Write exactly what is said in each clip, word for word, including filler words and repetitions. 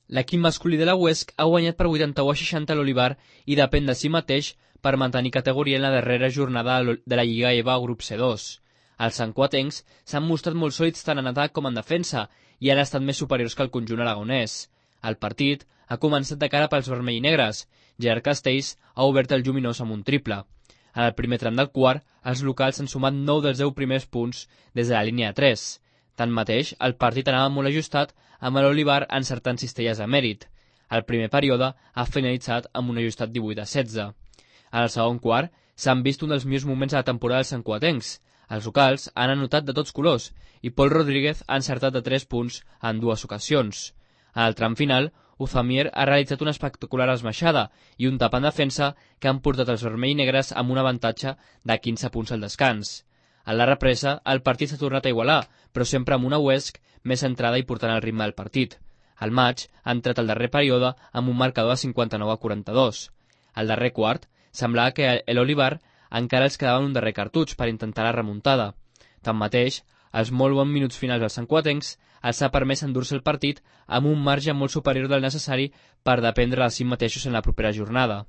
L'equip masculí de la Huesc ha guanyat per vuitanta-u a seixanta l'Olivar i depèn de si mateix per mantenir categoria en la darrera jornada de la Lliga EVA grup C dos. Els santcuatencs s'han mostrat molt sòlids tant en atac com en defensa i han estat més superiors que el conjunt aragonès. El partit ha començat de cara pels vermell i negres. Gerard Castells ha obert el lluminós amb un triple. En el primer tram del quart, els locals han sumat nou dels deu primers punts des de la línia de tres. Tanmateix, el partit anava molt ajustat amb l'Olivar encertant cistelles de mèrit. El primer període ha finalitzat amb un ajustat divuit a setze. En el segon quart s'han vist un dels millors moments de la temporada dels santcuatencs. Els locals han anotat de tots colors i Pol Rodríguez ha encertat de tres punts en dues ocasions. En el tram final, Uzamier ha realitzat una espectacular esmaixada i un tap en defensa que han portat els vermell i negres amb un avantatge de quinze punts al descans. En la represa, el partit s'ha tornat a igualar, però sempre amb una Huesc més centrada i portant el ritme del partit. El maig ha entrat al darrer període amb un marcador de cinquanta-nou a quaranta-dos. Al darrer quart, semblava que l'Olivar encara els quedaven un darrer cartutx per intentar la remuntada. Tanmateix, els molt bons minuts finals dels santcuatencs els ha permès endur-se el partit amb un marge molt superior del necessari per dependre de si mateixos en la propera jornada.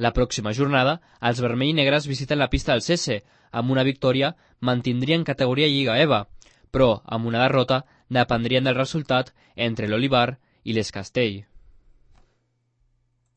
La pròxima jornada, els vermell i negres visiten la pista del C S. Amb una victòria mantindrien categoria Lliga EVA, però amb una derrota dependrien del resultat entre l'Olivar i l'Es Castell.